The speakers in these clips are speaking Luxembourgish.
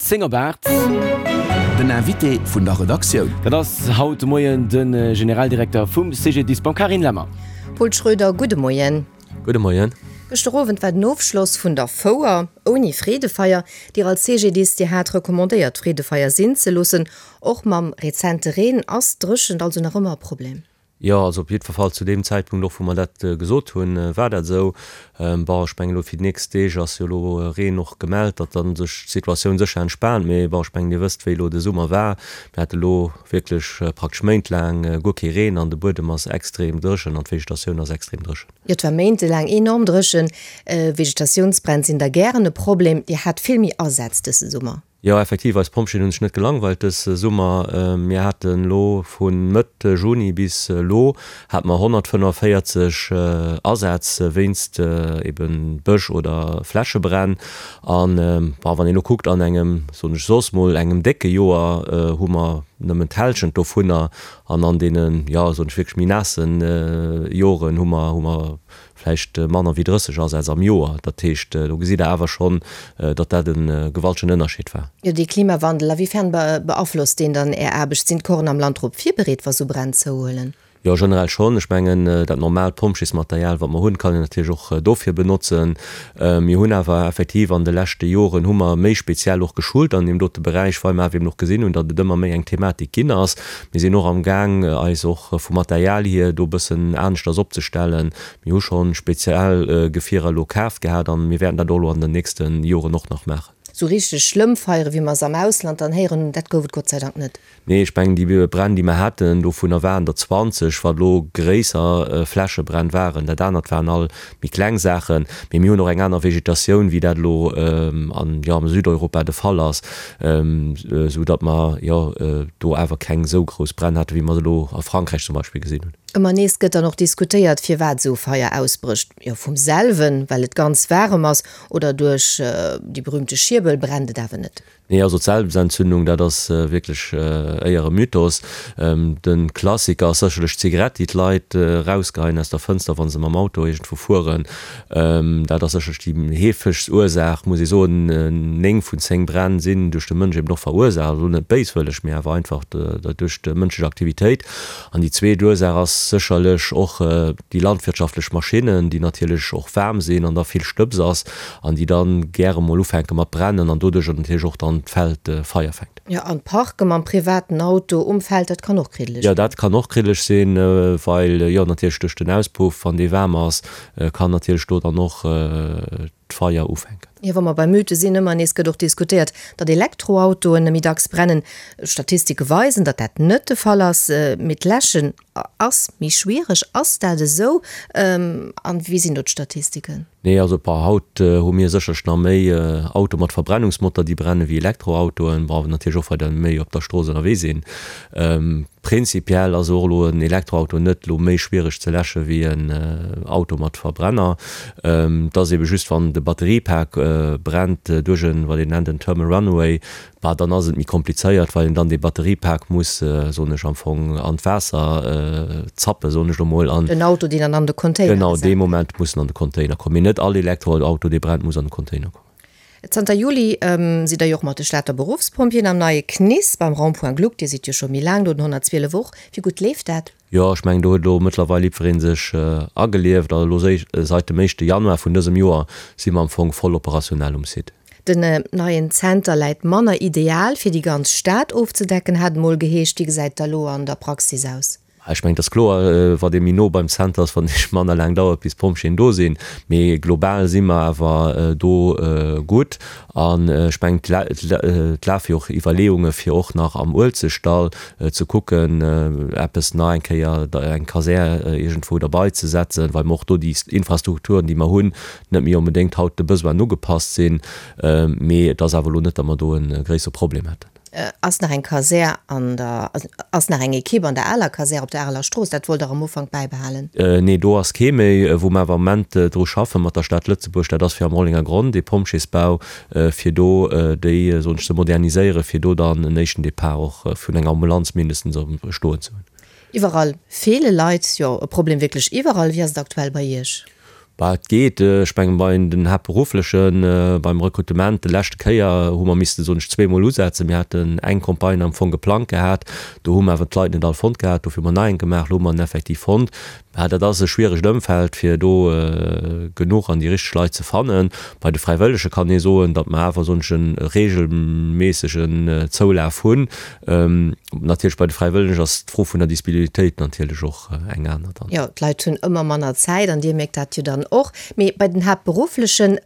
10 op 8. Den Invité vun der Redaktioun. Dat ass haut de Moien de Generaldirekter vum CGDIS, Carine Lemmer. Paul Schroeder, gudde Moien. Gudde Moien. Gëschter Owend war den Ofschloss vun der Fouer, ouni Freedefeier. Dir als CGDIS, Dir hat recommandéiert d'Freedefeier sinn ze loossen. Och mam rezente Reen ass d'Dréchent also nach ëmmer e Problem. Jo, also op jiddwer Fall zu deem Zäitpunkt och, wou mer dat gesot hunn, war dat esou. Bon, ech mengen elo fir déi nächst Deeg ass jo elo Reen och gemellt, datt da sech d'Situatioun sécher entspaant. Mee bon, ech mengen Dir wësst, wéi elo de Summer war. Mir hate elo wierklech praktesch méintlaang guer kee Reen an de Buedem ass extrem dréchen an d'Vegetatioun ass extrem dréchen. Jo, et war méintelaang enorm dréchen. Vegetatiounsbränn sinn da gären e Problem. Dir hat vill méi Asätz dëse Summer. Jo, effektiv, eis Pompjeeën hunn sech net gelangweilt dës Summer. Mir haten elo vu Mëtt Juni bis elo hate mer 145 Asätz wéinst eben Bësch oder Flächebränn. An, bon, wann een elo kuckt, an engem, soen ech soss mol, engem décke Joer hu mer nëmmen d'Hälschent dovunner. An an deenen, jo, soen ech wierklech méi naassen Joren hu mer, hu mer vläicht manner wéi 30 Asätz am Joer. Dat heescht, do gesitt Der awer schonn, datt dat e gewaltegen Ënnerscheed war. Jo, dee Klimawandel, a wéi fern beaflosst deen dann Är Aarbecht? Sinn d'Corpsen am Land drop virbereet, wa sou Bränn zouhuelen? Jo, generell schonn. Ech mengen, dat normaalt Pompjeesmaterial, wat mer hunn, kann een natierlech och dofir benotzen. Mir hunn awer effektiv an de leschte Joren hu mer méi speziell och geschult an deem dote Beräich, well mer awer eben och gesinn hunn, datt et ëmmer méi eng Thematik ginn ass. Mir sinn och am Gaang, eis och vum Material hier do e bëssen aneschters opzestellen. Mir hu scho speziell Gefierer elo kaf gehat an mir wäerten dat och elo an den nächste Joren och nach maachen. Sou richteg schlëmm Feiere wéi mer se am Ausland dann héieren hunn, dat gouf et Gott sei Dank net. Nee, ech mengen déi Bränn, déi mer haten, dovunner waren der 20, wat elo gréisser Flächebränn waren. Dat anert waren all méi kleng Saachen, mee mir hunn och eng aner Vegetatioun, wéi dat elo an, jo, am Südeuropa de Fall ass, esou datt mer, jo, do awer keng esou grouss Bränn haten, wéi mer se elo a Frankräich zum Beispill gesinn hunn. Ëmmer nees gëtt dann och diskutéiert, firwat esou Feier ausbrécht. Jo, vum selwen, well et ganz waarem ass, oder duerch déi berühmte Schierbel brennt et awer net. Nee, also d'Selbstentzündung, dat ass wierklech éier e Mythos. De Klassiker ass sécherlech d'Zigarett, déi d'Leit erausgeheien aus der Fënster, wa se mam Auto iergendwou fueren. Dat ass sécherlech déi heefegst Ursaach, muss ee soen. 9 vun 10 Bränn sinn duerch de Mënsch eben och verursaacht, also net béiswëlleg, mee awer einfach duerch mënschlech Aktivitéit. An déi zweet Ursaach ass sécherlech och déi landwirtschaftlech Maschinnen, déi natierlech och waarm sinn an da vill Stëbs ass an déi dann gäre mol ufänke mat brennen an doduercher natierlech och dann d'Feld Feier fänkt. Jo, an d'Parke mam privaten Auto um Feld, dat kann och kriddeleg Jo, dat kann och kriddeleg sinn, well jo natierlech duerch den Auspuff, wann dee waarm ass, kann natierlech do dann och d'Feier ufänken. Jo, wa mer bei Mythe sinn, ëmmer nees gëtt och diskutéiert, datt Elektroautoen méi dacks brennen. Statistike weisen, datt dat net de Fall ass. Mee d'Läschen ass méi schwiereg. Ass dat esou? An wéi sinn do d'Statistiken? Nee, also par haut hu mir sécherlech nach méi Autoe mat Verbrennungsmotor, déi brenne wéi Elektroautoen. Bon, natierlech och well der méi op der Strooss ënnerwee sinn. Prinzipiell ass och elo en Elektroauto net elo méi schwiereg ze läsche wéi en Auto mat Verbrenner. Et ass ebe just, wann de Batteriepak brennt duerch en, wat een nennt en Thermal Runaway, bah dann ass et méi komplizéiert, well een dann dee Batteriepak muss, soen ech, am Fong an d'Waasser zappen, soen ech elo mol, an. Den Auto, deen dann an de Container Genau, gesat dee gëtt. Moment muss en an de Container kommen. Mee net all Elektroauto, dee brennt, muss an de Container kommen. Zanter Juli sidd der jo och mat de Stater Beruffspompjeeën am neie CNIS beim Rond-point Gluck. Dir sidd jo scho méi laang do, den 112 och. Wéi gutt leeft dat? Jo, ech mengen, do huet elo mëttlerweil jiddweree sech agelieft. Also elo seit dem éischte Januar vun dësem Joer si mer am Fong voll operationell um Site. Den neien Zenter läit manner ideal fir déi ganz Stad ofzedecken, hat et mol geheescht. Wéi gesäit da lo an der Praxis aus? Ech mengen, et ass kloer, wat ee méi no beim Zenter ass, wat et manner laang dauert, bis d'Pompjeeën do sinn. Mee global si mer awer do gutt. An ech mengen, et lafe jo och Iwwerleeunge fir och nach am Uelzechtdall ze kucken, eppes nach eng Kéier, eng Kasär iergendwou derbei ze setzen, well mer och do déi Infrastrukturen, déi mer hunn, net méi onbedéngt haut de Besoinen ugepasst sinn. Mee et ass awer elo net, datt mer do e gréissere Problem hätten. Ass nach eng Kasär an der, ass nach eng Ekipp an der aler Kasär op der Areler Strooss? Dat wollt Der am Ufank bäibehalen. Nee, do ass kee méi. Wou mer awer am Moment dru schaffe mat der Stad Lëtzebuerg, dat ass fir am Rollenger Gronn, dee Pompjeesbau, fir do déi, soen ech, ze moderniséieren, fir do dann en éischten Depart och vun enger Ambulanz mindestens stoen ze hunn. Iwwerall feele Leit, jo e Problem wierklech iwwerall. Wéi ass et aktuell bei Iech? Bah, et geet. Ech mengen, bei den Haaptberufflechen, beim Rekrutement, de leschte Kéier hu mer missten, soen ech, zweemol usetzen. Mir haten eng Campagne am Fong geplangt gehat, do hu mer awer d'Leit net all fonnt gehat, dofir hu mer nach eng gemaach, elo hu mer en effektiv fonnt. Bah, dat ass e schwieregt Ëmfeld, fir do genuch an déi richteg Leit ze fannen. Bei de Fräiwëllege kann ee soen, datt mer awer, soen ech, e regelméissegen Zoulaf hunn. Natierlech bei de Fräiwëllegen ass d'Fro vun der Disponibilitéit natierlech och eng aner dann. Jo, d'Leit hunn ëmmer manner Zäit an Dir mierkt dat jo dann och. Mee bei den Haaptberufflechen,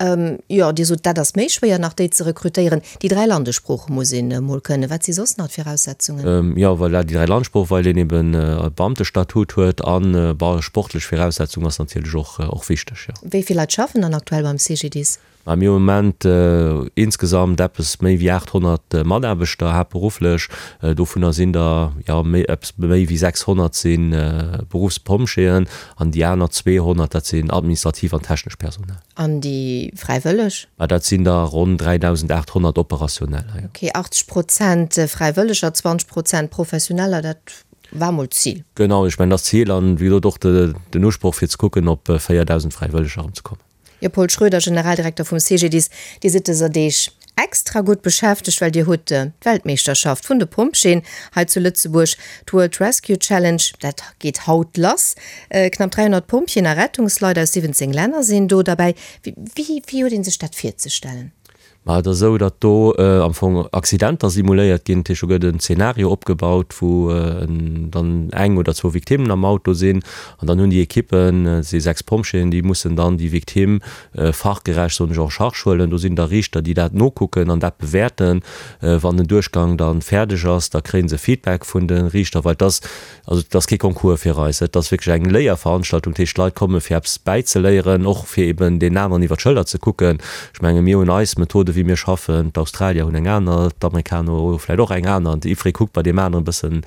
jo, Dir sot, dat ass méi schwéier nach déi ze rekrutéieren. Déi 3 Landessprooche muss een emol kënnen. Wat si soss nach d'Viraussetzungen? Jo, voilà, déi 3 Landessproochen, well een eben e Beamtestatut huet an, bon, sportlech Viraussetzung ass natierlech och, och wichteg, jo. Wéi vill Leit schaffen dann aktuell beim CGDIS? Mä mir hunn am Moment insgesamt eppes méi wéi 800 Mataarbechter haaptberufflech. Dovunner sinn der, jo, méi, eppes méi wéi 600 si Beruffspompjeeën an déi aner 200, dat sinn administrativ an technesch Personal. An déi Fräiwëlleg? Mä dat sinn der ronn 3.800 Operationeller, jo. Ok, 80 Prozent Fräiwëlleger, 20 Prozent Professioneller, dat war mol d'Zil. Genau, ech mengen, dat ass d'Zil an, wéi gesot, och den Usproch, fir ze kucken, op 4.000 Fräiwëlleger erëmzekommen. Jo, Paul Schroeder, Generaldirekter vum CGDIS, Dir sidd dëser Deeg extra gutt beschäftegt, well Dir hutt d'Weltmeeschterschaft vun de Pompjeeën hei zu Lëtzebuerg, d'World Rescue Challenge, dat geet haut lass. Knapp 300 Pompjeeën a Rettungsleit aus 17 Länner sinn do derbäi. Wéi huet ee sech dat virzestellen? Ma et ass esou, datt do am Fong Accidenter simuléiert ginn. Dat heescht, do gëtt en Zeenario opgebaut, wou dann eng oder zwou Victimmen am Auto sinn. An dann hunn déi Ekippen, et si 6 Pompjeeën, déi mussen dann déi Victime fachgerecht, soen ech, en charge huelen. Do sinn da Riichter, déi dat nokucken an dat bewäerten. Wann den Duerchgang da fäerdeg ass, da kréie se Feedback vun de Riichter, well et ass Also et ass kee Concours fir eis, et ass wierklech eng Léierveranstaltung. Dat heescht, d'Leit komme fir eppes bäizeléieren, och fir eben deenen aneren iwwer d'Schëller ze kucken. Ech menge mir hunn eis Methode wéi mir schaffen, d'Australier hunn eng aner, d'Amerikaner hu vläicht och eng aner an jiddweree kuckt bei deem aneren e bëssen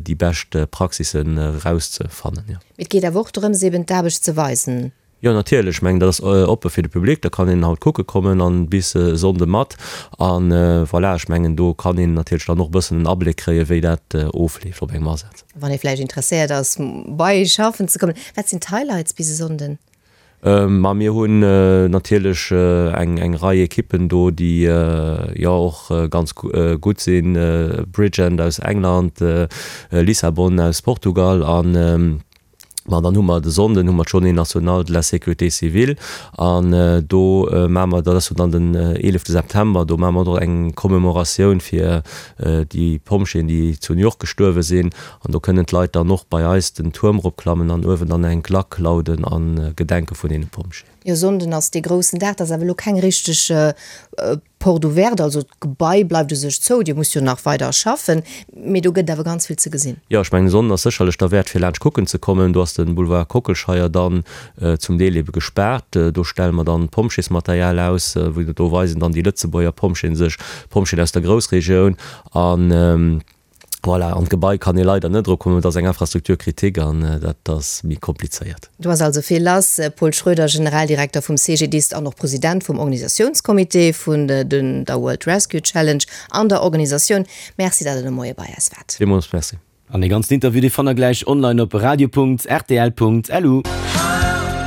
déi bescht Praxissen erauszefannen. Mee et geet awer och drëms eben d'Aarbecht ze weisen. Jo natierlech, ech mengen dat ass oppe fir de Public, da kann een haut kucke kommen an bis e Sonnde mat an voilà, ech mengen do kann een natierlech dann och e bëssen en Abléck kréie wéi dat ofleeft op engem Asaz. Wann ee vläicht interesséiert ass bei schaffen ze kommen, wat sinn d'Highlights bis e Sonnden? Ma mir hunn natierlech eng eng Rei Ekippen do déi jo och ganz gutt sinn, Bridgend aus England, Lissabon aus Portugal an Ma dann hu mer de Sonnden hu mer d'Journée nationale de la sécurité civile an do maache mer, dat ass jo dann den eelefte September, do maache mer och eng Commemoratioun fir déi Pompjeeën, déi zu New York gestuerwe sinn. An do kënnen d'Leit dann och bei eis den Tuerm eropklammen an uewen dann eng Glack lauden a gedenke vun deene Pompjeeën. Jo, Sonnden ass dee groussen Dag. Dat ass awer elo keng richteg Porte ouverte, also d'Gebai bleift u sech zou, Dir musst jo nach weider schaffen, mee do gëtt et awer ganz vill ze gesinn. Jo, ech mengen, de Sonnden ass sécherlech derwäert fir laanscht kucken ze kommen. Do ass de Boulevard Kockelscheier dann zum Deel ebe gespaart. Do stelle mer dann Pompjeesmaterial aus, wou do weisen dann déi Lëtzebuerger Pompjeeën sech, d'Pompjeeën aus der Groussregioun an. Voilà, an d'Gebai kann ee leider net erokommen, et ass eng Infrastructure critique an dat ass méi komplizéiert. Do ass also vill lass. Paul Schroeder, Generaldirekter vum CGDIS an och President vum Organisatiounscomité vun der World Rescue Challenge an der Organisatioun, Merci, datt Der de Moie bei eis waart. Villmools Merci. An dee ganzen Interview, dee fannt der gläich online op radio.rtl.lu.